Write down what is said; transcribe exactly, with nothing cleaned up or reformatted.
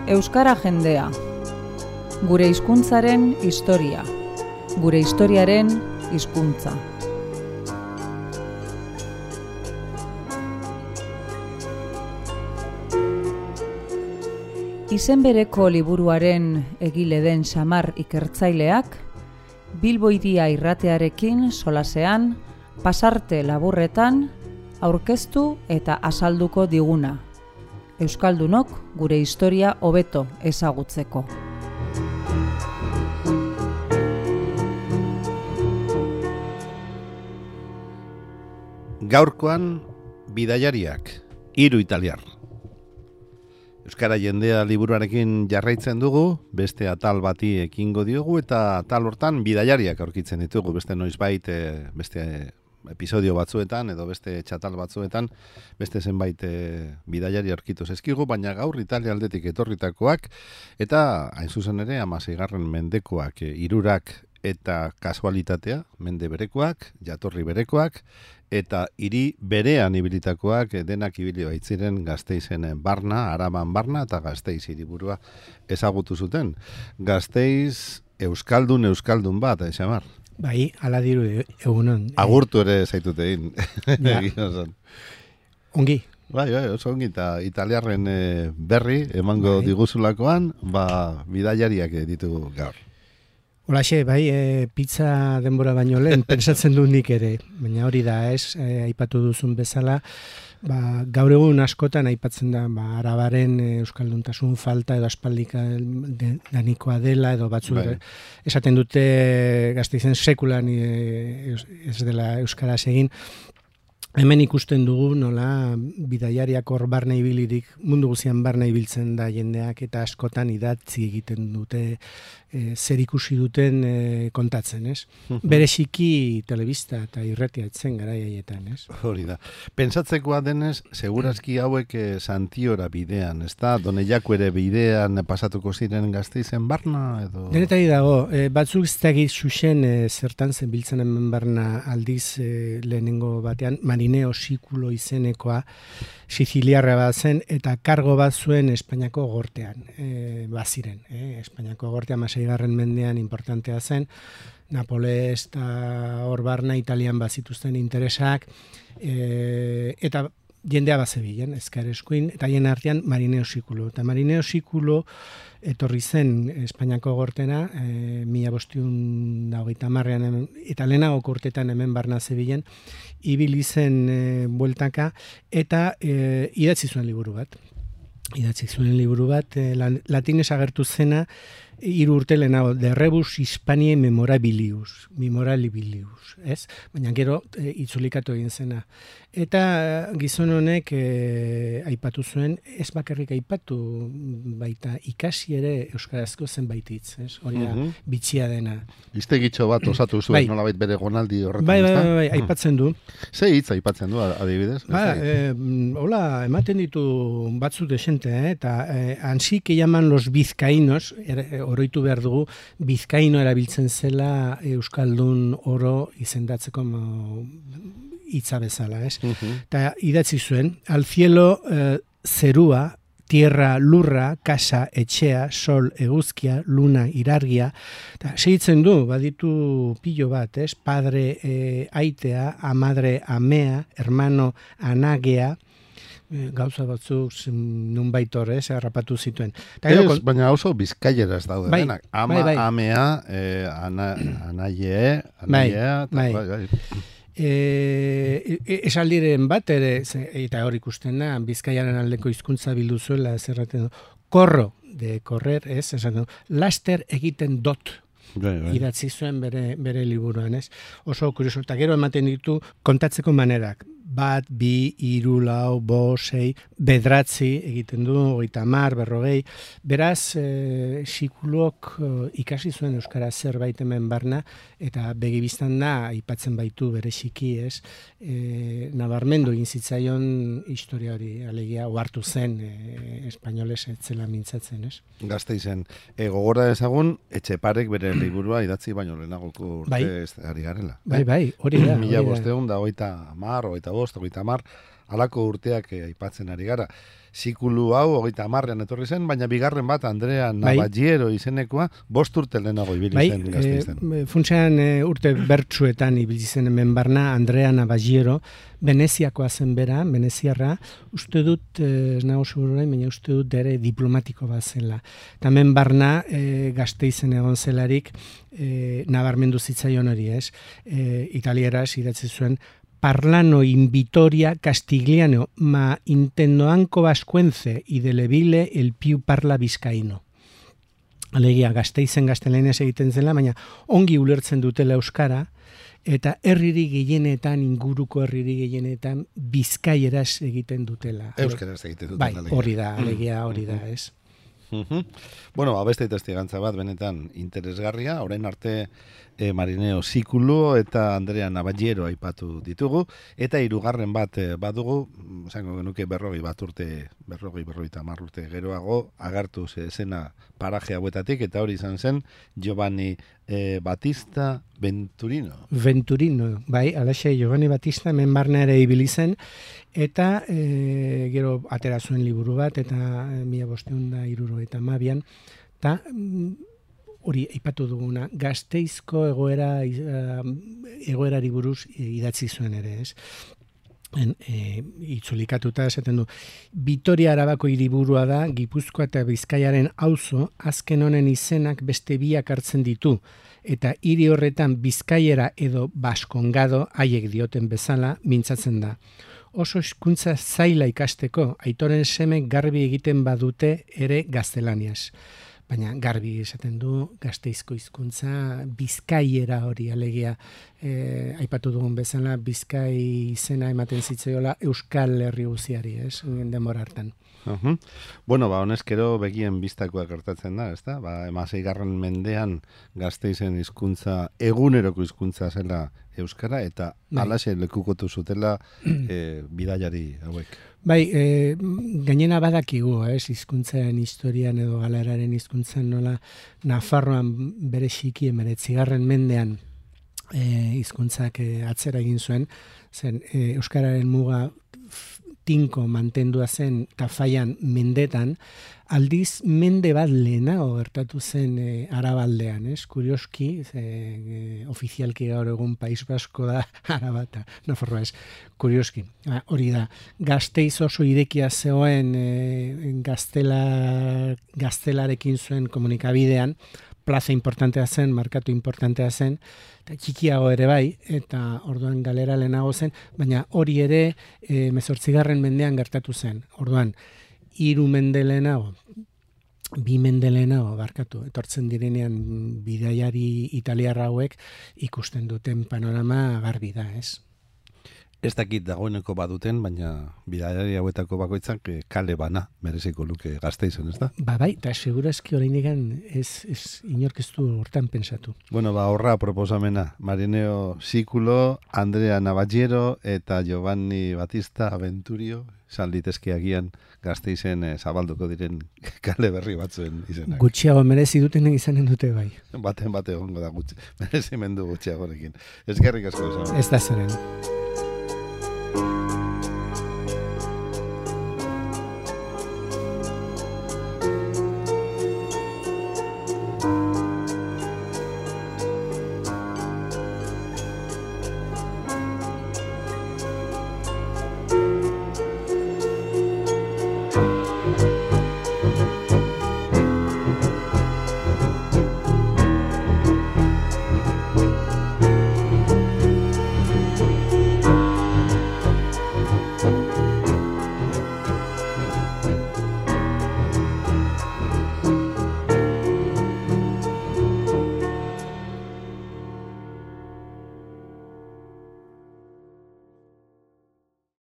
Euskara jendea. Gure hizkuntzaren historia. Gure historiaren hizkuntza. Izen bereko liburuaren egile den Xamar ikertzaileak, Bilbo Hiria irratearekin solasean, pasarte laburretan, aurkeztu eta azalduko diguna. Euskaldunok gure historia hobeto ezagutzeko. Gaurkoan bidaiariak, hiru italiar. Euskara jendea liburuarekin jarraitzen dugu, beste atal bati ekingo diogu eta atal hortan bidaiariak aurkitzen ditugu, beste noizbait, beste episodio batzuetan edo beste txatal batzuetan, beste zenbait e, bidaiari aurkitu zaizkigu, baina gaur Italia aldetik etorritakoak eta hain zuzen ere hamaseigarren mendekoak, e, hirurak eta kasualitatea, mende berekoak, jatorri berekoak, eta hiri berean ibilitakoak denak ibili baitziren Gasteizen barna, Araban barna eta Gasteiz hiriburua ezagutu zuten. Gasteiz euskaldun euskaldun bat, eh, Xamar? Bai, ala diru egunon. Agurtu ere zaitut egin. Ja. Ongi. Bai, bai, oso ongi, eta italiarren e, berri emango bai. Diguzulakoan, ba, bidaiariak ditugu gaur. Holaxe, bai, e, pizza denbora baino lehen, pensatzen du nik ere, baina hori da, ez, e, aipatu duzun bezala, ba, gaur egun askotan aipatzen da, ba, arabaren e, euskalduntasun falta edo aspaldika de, danikoa dela edo batzu bai. Esaten dute Gasteizen sekulan e, ez dela euskaraz egin. Hemen ikusten dugu nola bidaiariak hor barna ibilirik, mundu guzian barna ibiltzen da jendeak eta askotan idatzi egiten dute, e, zer ikusi duten e, kontatzen, ez? Bereziki telebista eta irratia etzen gara jaietan, ez? Hori da. Pentsatzekoa denez, segurazki hauek e, Santiora bidean, ez da? Doneiako ere bidean pasatuko ziren Gasteizen barna, edo? Denetari dago, e, batzuk ez dakit xuxen e, zertan zen biltzen hemen barna aldiz e, lehenengo batean, Marineo Sikulo izenekoa Siciliarra bat zen eta kargo bat zuen Espainiako gortean e, baziren. E, Espainiako gortean hamaseigarren mendean importantea zen, Napoles eta hor barna Italian bazituzten interesak e, eta jendea bazebilen, ezker eskuin, eta hien artean Marineo Sikulo. Eta Marineo Sikulo etorri zen Espainiako gortena, e, mila bostiun da hogeita hamarrean, eta lehenago urtetan hemen barna zebilen, ibili zen e, bueltaka, eta e, idatzi zuen liburu bat. Idatzi zuen liburu bat, e, latinez agertu zena, hiru urte lehenago, de rebus Hispaniae memorabilius, memorabilius, ez? Baina gero e, itzulikatu egin zena. Eta gizon honek e, aipatu zuen, ez bakarrik aipatu, baita ikasi ere euskarazko zenbait hitz, ez? Hori da, uh-huh. bitxia dena. Iztegitxo bat osatu zuen, bai. Nolabait bere gonaldi horretan, bai, bai, bai, bai, aipatzen du. Ze hitz aipatzen du, adibidez? Ba, e, hola, ematen ditu batzu desente, eh? Eta e, ansí que llaman los vizcaínos, er, oroitu behar dugu, bizkaino erabiltzen zela euskaldun oro izendatzeko hitza bezala, ez? Eta uh-huh. idatzi zuen, al cielo eh, zerua, tierra, lurra, casa, etxea, sol, eguzkia, luna, irargia, eta segitzen du, baditu pilo bat, ez? Padre, eh, aitea, amadre, amea, hermano, anagea, gauza batzuk nunbait horrez, harrapatu zituen. Ez, kon... baina oso bizkaieraz daude bai, denak. Ama, bai, bai. amea, eh, ana, anaie, anaiea, bai, bai, bai. E, esaldiren bat ere, eta hor ikusten da, Bizkaiaren aldeko hizkuntza bildu zuela, zerraten du, korro, de correr, ez, esaten du, laster egiten dot, bai, bai. Idatzi zuen bere, bere liburuan, ez? Oso kurioso, eta gero ematen ditu kontatzeko manerak, bat, bi, hiru, lau, bost, sei, bedratzi egiten du, hogeita hamar, berrogei. Beraz, e, Sikulok e, ikasi zuen euskara zerbait hemen barna, eta begibistan da, aipatzen baitu bereziki, ez, e, nabarmendu egin zitzaion historia hori, alegia, ohartu zen, e, espainoles etzela mintzatzen, ez? Gasteizen, e, gogora ezagun, Etxeparek bere liburua idatzi baino lehenagoko urte bai. Ez ari garela. Bai, bai, hori da. Mila bosteun da, hogeita hamar, hogeita bost, bost, hogeita hamar, halako urteak eh, aipatzen ari gara. Zikulu hau hogeita hamarrean etorri zen, baina bigarren bat Andrea Navallero izenekoa bost urte lehenago ibili bai, zen Gasteizen. E, funtsean e, urte bertsuetan ibili zen hemen barna Andrea Navallero, Veneziakoa zen bera, Veneziarra, uste dut, ez nago seguruain, baina uste dut ere diplomatiko bat zela. Eta hemen barna e, Gasteizen egon zelarik e, nabarmendu zitzaion hori, ez? E, italieraz idatzi zuen, parlano in Vitoria Castigliano, ma intendoanco vascuence y de Leville el più parla bizkaino. Alegia, Gasteizen gaztelaniaz egiten zela, baina ongi ulertzen dutela euskara, eta herriri gehienetan, inguruko herriri gehienetan, bizkaieraz egiten dutela. Euskaraz egiten dutela. Bai, hori da, alegia hori da, ez? Uh-huh. Bueno, beste testigantza bat benetan interesgarria, orain arte e, Marineo Zikulo eta Andrea Navallero aipatu ditugu, eta hirugarren bat e, badugu, esango genuke berrogei bat urte, berrogei berrogeita hamar urte geroago, agartu zena paraje hauetatik, eta hori izan zen Giovanni e, Battista Venturino. Venturino, bai, alaxe Giovanni Battista hemen barna ere ibili zen, eta e, gero atera zuen liburu bat, eta e, mila bosteun da iruro eta mabian, eta hori aipatu duguna, Gasteizko egoera egoerari buruz idatzi zuen ere, ez? En, e, itzulikatuta esaten du, Vitoria Arabako hiriburua da, Gipuzkoa eta Bizkaiaren auzo, azken honen izenak beste biak hartzen ditu, eta hiri horretan Bizkaiera edo Baskongado, haiek dioten bezala, mintzatzen da. Oso hizkuntza zaila ikasteko, aitoren semek garbi egiten badute ere gaztelaniaz. Baina garbi esaten du Gasteizko hizkuntza Bizkaiera hori alegia e, aipatu dugun bezala Bizkai izena ematen zitzaiola Euskal Herri guziari, ez? Denbora hartan. Uh-huh. Bueno, ba, honezkero begien bistakoak gertatzen da, ezta? Ba, hamaseigarren mendean Gasteizen hizkuntza eguneroko hizkuntza zela euskara, eta halaxe lekukotu zutela e, bidaiari hauek. Bai, e, gainena badakigu, ez, hizkuntzaren historian edo galeraren hizkuntzan nola Nafarroan bere xiki emeretzigarren mendean e, hizkuntzak e, atzera egin zuen, zen e, euskararen muga tinko mantendua zen Tafaian mendetan, aldiz mende bat lehenago gertatu zen e, Arabaldean, ez? Kurioski, e, e, ofizialki gaur egun País Basko da Arabata, Nafarroa ez, kurioski. Ha, hori da, Gasteiz oso irekia zegoen e, gaztela, gaztelarekin zuen komunikabidean, plaza importantea zen, markatu importantea zen, eta txikiago ere bai, eta orduan galera lehenago zen, baina hori ere e, mezortzigarren mendean gertatu zen. Orduan, hiru mende lehenago, bi mende lehenago, barkatu, etortzen direnean bidaiari italiarra hauek ikusten duten panorama garbi da, ez? Ez dakit dagoeneko baduten, baina bidaiari hauetako bakoitzak kale bana mereziko luke Gasteizen, ez da? Ba bai, eta segurazki oraindik ez, ez inork ez du hortan pensatu. Bueno, ba horra proposamena, Marineo Zikulo, Andrea Navallero eta Giovanni Battista Venturio, izan litezke agian Gasteizen eh, zabalduko diren kale berri batzuen izenak. Gutxiago merezi dutenen izanen dute bai. Baten bate egongo da gutxi, merezimendu gutxiagorekin. Eskerrik asko esan. Ez da zeren.